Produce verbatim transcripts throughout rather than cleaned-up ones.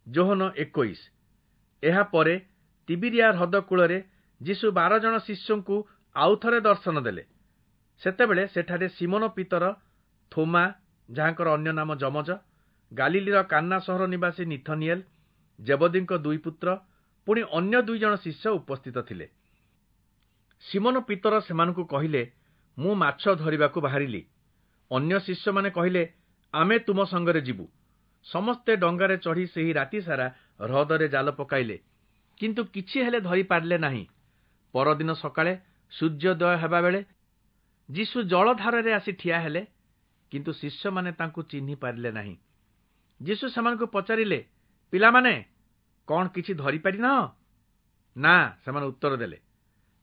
ଯୋହନ ଏକୋଇଶ। ଏହା ପରେ ତିବିରିଆ ହ୍ରଦ କୂଳରେ ଯୀଶୁ ବାର ଜଣ ଶିଷ୍ୟଙ୍କୁ ଆଉ ଥରେ ଦର୍ଶନ ଦେଲେ। ସେତେବେଳେ ସେଠାରେ ଶିମୋନ ପିତର, ଥୋମା ଯାହାଙ୍କର ଅନ୍ୟ ନାମ ଯମଜ, ଗାଲିଲୀର କାନ୍ନା ସହର ନିବାସୀ ନିଥନିଏଲ, ଜେବଦୀଙ୍କ ଦୁଇ ପୁତ୍ର, ପୁଣି ଅନ୍ୟ ଦୁଇ ଜଣ ଶିଷ୍ୟ ଉପସ୍ଥିତ ଥିଲେ। ଶିମୋନ ପିତର ସେମାନଙ୍କୁ କହିଲେ, ମୁଁ ମାଛ ଧରିବାକୁ ବାହାରିଲି। ଅନ୍ୟ ଶିଷ୍ୟମାନେ କହିଲେ, ଆମେ ତୁମ ସଙ୍ଗରେ ଯିବୁ। ସମସ୍ତେ ଡଙ୍ଗାରେ ଚଢ଼ି ସେହି ରାତିସାରା ହ୍ରଦରେ ଜାଲ ପକାଇଲେ, କିନ୍ତୁ କିଛି ହେଲେ ଧରିପାରିଲେ ନାହିଁ। ପରଦିନ ସକାଳେ ସୂର୍ଯ୍ୟୋଦୟ ହେବାବେଳେ ଯୀଶୁ ଜଳଧାରରେ ଆସି ଠିଆ ହେଲେ, କିନ୍ତୁ ଶିଷ୍ୟମାନେ ତାଙ୍କୁ ଚିହ୍ନି ପାରିଲେ ନାହିଁ। ଯୀଶୁ ସେମାନଙ୍କୁ ପଚାରିଲେ, ପିଲାମାନେ, କ'ଣ କିଛି ଧରିପାରିନାହଁ? ନା, ସେମାନେ ଉତ୍ତର ଦେଲେ।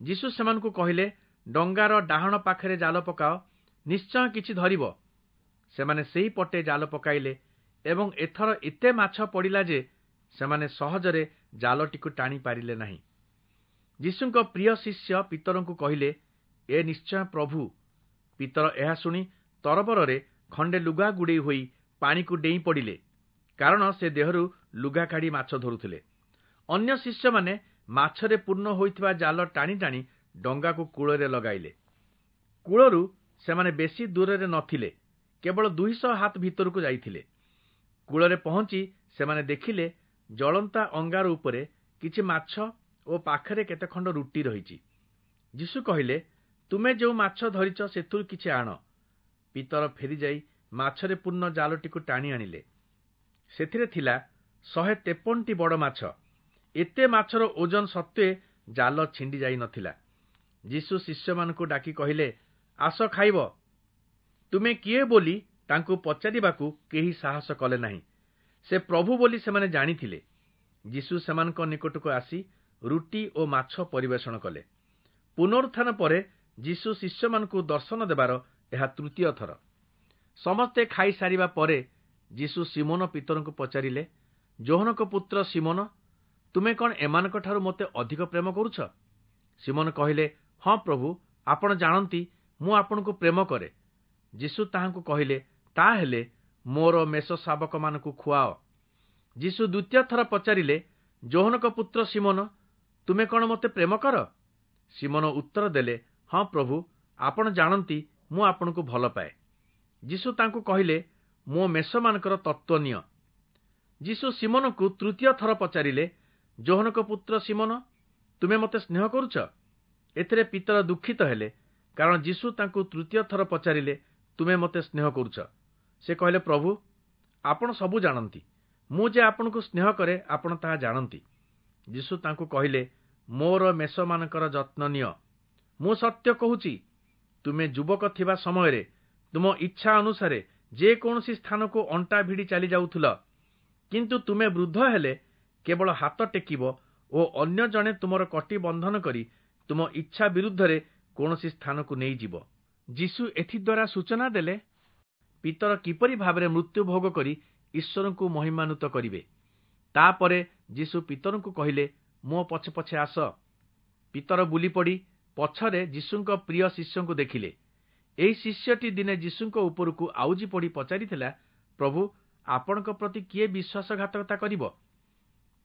ଯୀଶୁ ସେମାନଙ୍କୁ କହିଲେ, ଡଙ୍ଗାର ଡାହାଣ ପାଖରେ ଜାଲ ପକାଅ, ନିଶ୍ଚୟ କିଛି ଧରିବ। ସେମାନେ ସେହି ପଟେ ଜାଲ ପକାଇଲେ ଏବଂ ଏଥର ଏତେ ମାଛ ପଡ଼ିଲା ଯେ ସେମାନେ ସହଜରେ ଜାଲଟିକୁ ଟାଣି ପାରିଲେ ନାହିଁ। ଯୀଶୁଙ୍କ ପ୍ରିୟ ଶିଷ୍ୟ ପିତରଙ୍କୁ କହିଲେ, ଏ ନିଶ୍ଚୟ ପ୍ରଭୁ। ପିତର ଏହା ଶୁଣି ତରବରରେ ଖଣ୍ଡେ ଲୁଗା ଗୁଡ଼େଇ ହୋଇ ପାଣିକୁ ଡେଇଁ ପଡ଼ିଲେ, କାରଣ ସେ ଦେହରୁ ଲୁଗା କାଢ଼ି ମାଛ ଧରୁଥିଲେ। ଅନ୍ୟ ଶିଷ୍ୟମାନେ ମାଛରେ ପୂର୍ଣ୍ଣ ହୋଇଥିବା ଜାଲ ଟାଣି ଟାଣି ଡଙ୍ଗାକୁ କୂଳରେ ଲଗାଇଲେ। କୂଳରୁ ସେମାନେ ବେଶୀ ଦୂରରେ ନଥିଲେ, କେବଳ ଦୁଇଶହ ହାତ ଭିତରକୁ ଯାଇଥିଲେ। କୂଳରେ ପହଞ୍ଚି ସେମାନେ ଦେଖିଲେ ଜଳନ୍ତା ଅଙ୍ଗାର ଉପରେ କିଛି ମାଛ ଓ ପାଖରେ କେତେ ଖଣ୍ଡ ରୁଟି ରହିଛି। ଯୀଶୁ କହିଲେ, ତୁମେ ଯେଉଁ ମାଛ ଧରିଛ ସେଥିରୁ କିଛି ଆଣ। ପିତର ଫେରିଯାଇ ମାଛରେ ପୂର୍ଣ୍ଣ ଜାଲଟିକୁ ଟାଣି ଆଣିଲେ। ସେଥିରେ ଥିଲା ଶହେ ତେପନଟି ବଡ଼ ମାଛ। ଏତେ ମାଛର ଓଜନ ସତ୍ତ୍ୱେ ଜାଲ ଛିଣ୍ଡି ଯାଇ ନଥିଲା। ଯୀଶୁ ଶିଷ୍ୟମାନଙ୍କୁ ଡାକି କହିଲେ, ଆସ ଖାଇବ। ତୁମେ କିଏ ବୋଲି ତାଙ୍କୁ ପଚାରିବାକୁ କେହି ସାହସ କଲେ ନାହିଁ। ସେ ପ୍ରଭୁ ବୋଲି ସେମାନେ ଜାଣିଥିଲେ। ଯୀଶୁ ସେମାନଙ୍କ ନିକଟକୁ ଆସି ରୁଟି ଓ ମାଛ ପରିବେଷଣ କଲେ। ପୁନରୁତ୍ଥାନ ପରେ ଯୀଶୁ ଶିଷ୍ୟମାନଙ୍କୁ ଦର୍ଶନ ଦେବାର ଏହା ତୃତୀୟ ଥର। ସମସ୍ତେ ଖାଇସାରିବା ପରେ ଯୀଶୁ ଶିମୋନ ପିତରଙ୍କୁ ପଚାରିଲେ, ଯୋହନଙ୍କ ପୁତ୍ର ଶିମୋନ, ତୁମେ କ'ଣ ଏମାନଙ୍କଠାରୁ ମୋତେ ଅଧିକ ପ୍ରେମ କରୁଛ? ଶିମୋନ କହିଲେ, ହଁ ପ୍ରଭୁ, ଆପଣ ଜାଣନ୍ତି ମୁଁ ଆପଣଙ୍କୁ ପ୍ରେମ କରେ। ଯୀଶୁ ତାହାଙ୍କୁ କହିଲେ, ତାହେଲେ ମୋର ମେଷ ଶାବକମାନଙ୍କୁ ଖୁଆଅ। ଯୀଶୁ ଦ୍ୱିତୀୟ ଥର ପଚାରିଲେ, ଯୋହନଙ୍କ ପୁତ୍ର ଶିମୋନ, ତୁମେ କ'ଣ ମୋତେ ପ୍ରେମ କର? ଶିମୋନ ଉତ୍ତର ଦେଲେ, ହଁ ପ୍ରଭୁ, ଆପଣ ଜାଣନ୍ତି ମୁଁ ଆପଣଙ୍କୁ ଭଲ ପାଏ। ଯୀଶୁ ତାଙ୍କୁ କହିଲେ, ମୋ ମେଷମାନଙ୍କର ତତ୍ତ୍ୱ ନିଅ। ଯୀଶୁ ଶିମୋନଙ୍କୁ ତୃତୀୟ ଥର ପଚାରିଲେ, ଯୋହନଙ୍କ ପୁତ୍ର ଶିମୋନ, ତୁମେ ମୋତେ ସ୍ନେହ କରୁଛ? ଏଥିରେ ପିତର ଦୁଃଖିତ ହେଲେ, କାରଣ ଯୀଶୁ ତାଙ୍କୁ ତୃତୀୟ ଥର ପଚାରିଲେ, ତୁମେ ମୋତେ ସ୍ନେହ କରୁଛ? ସେ କହିଲେ, ପ୍ରଭୁ, ଆପଣ ସବୁ ଜାଣନ୍ତି, ମୁଁ ଯେ ଆପଣଙ୍କୁ ସ୍ନେହ କରେ ଆପଣ ତାହା ଜାଣନ୍ତି। ଯୀଶୁ ତାଙ୍କୁ କହିଲେ, ମୋର ମେଷମାନଙ୍କର ଯତ୍ନ ନିଅ। ମୁଁ ସତ୍ୟ କହୁଛି, ତୁମେ ଯୁବକ ଥିବା ସମୟରେ ତୁମ ଇଚ୍ଛା ଅନୁସାରେ ଯେକୌଣସି ସ୍ଥାନକୁ ଅଣ୍ଟା ଭିଡ଼ି ଚାଲି ଯାଉଥିଲ, କିନ୍ତୁ ତୁମେ ବୃଦ୍ଧ ହେଲେ କେବଳ ହାତ ଟେକିବ ଓ ଅନ୍ୟ ଜଣେ ତୁମର କଟି ବନ୍ଧନ କରି ତୁମ ଇଚ୍ଛା ବିରୁଦ୍ଧରେ କୌଣସି ସ୍ଥାନକୁ ନେଇଯିବ। ଯୀଶୁ ଏଥିଦ୍ୱାରା ସୂଚନା ଦେଲେ ପିତର କିପରି ଭାବରେ ମୃତ୍ୟୁ ଭୋଗ କରି ଈଶ୍ୱରଙ୍କୁ ମହିମାନ୍ୱିତ କରିବେ। ତାପରେ ଯୀଶୁ ପିତରଙ୍କୁ କହିଲେ, ମୋ ପଛେ ପଛେ ଆସ। ପିତର ବୁଲିପଡ଼ି ପଛରେ ଯୀଶୁଙ୍କ ପ୍ରିୟ ଶିଷ୍ୟଙ୍କୁ ଦେଖିଲେ। ଏହି ଶିଷ୍ୟଟି ଦିନେ ଯୀଶୁଙ୍କ ଉପରକୁ ଆଉଜି ପଡ଼ି ପଚାରିଥିଲା, ପ୍ରଭୁ, ଆପଣଙ୍କ ପ୍ରତି କିଏ ବିଶ୍ୱାସଘାତକତା କରିବ?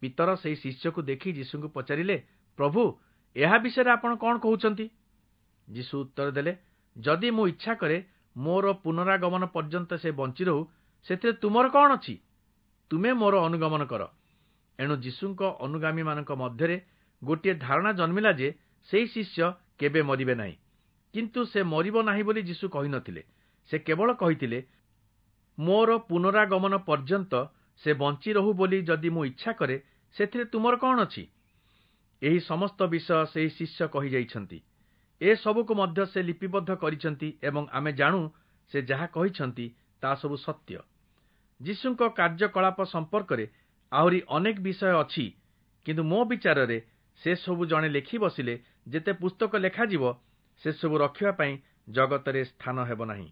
ପିତର ସେହି ଶିଷ୍ୟକୁ ଦେଖି ଯୀଶୁଙ୍କୁ ପଚାରିଲେ, ପ୍ରଭୁ, ଏହା ବିଷୟରେ ଆପଣ କ'ଣ କହୁଛନ୍ତି? ଯୀଶୁ ଉତ୍ତର ଦେଲେ, ଯଦି ମୁଁ ଇଚ୍ଛା କରେ ମୋର ପୁନରାଗମନ ପର୍ଯ୍ୟନ୍ତ ସେ ବଞ୍ଚି ରହୁ, ସେଥିରେ ତୁମର କ'ଣ ଅଛି? ତୁମେ ମୋର ଅନୁଗମନ କର। ଏଣୁ ଯୀଶୁଙ୍କ ଅନୁଗାମୀମାନଙ୍କ ମଧ୍ୟରେ ଗୋଟିଏ ଧାରଣା ଜନ୍ମିଲା ଯେ ସେହି ଶିଷ୍ୟ କେବେ ମରିବେ ନାହିଁ। କିନ୍ତୁ ସେ ମରିବ ନାହିଁ ବୋଲି ଯୀଶୁ କହିନଥିଲେ। ସେ କେବଳ କହିଥିଲେ, ମୋର ପୁନରାଗମନ ପର୍ଯ୍ୟନ୍ତ ସେ ବଞ୍ଚି ରହୁ ବୋଲି ଯଦି ମୁଁ ଇଚ୍ଛା କରେ, ସେଥିରେ ତୁମର କ'ଣ ଅଛି? ଏହି ସମସ୍ତ ବିଷୟ ସେହି ଶିଷ୍ୟ କହିଯାଇଛନ୍ତି। ଏସବୁକୁ ମଧ୍ୟ ସେ ଲିପିବଦ୍ଧ କରିଛନ୍ତି ଏବଂ ଆମେ ଜାଣୁ ସେ ଯାହା କହିଛନ୍ତି ତାହା ସବୁ ସତ୍ୟ। ଯୀଶୁଙ୍କ କାର୍ଯ୍ୟକଳାପ ସମ୍ପର୍କରେ ଆହୁରି ଅନେକ ବିଷୟ ଅଛି, କିନ୍ତୁ ମୋ ବିଚାରରେ ସେସବୁ ଜଣେ ଲେଖି ବସିଲେ ଯେତେ ପୁସ୍ତକ ଲେଖାଯିବ, ସେସବୁ ରଖିବା ପାଇଁ ଜଗତରେ ସ୍ଥାନ ହେବ ନାହିଁ।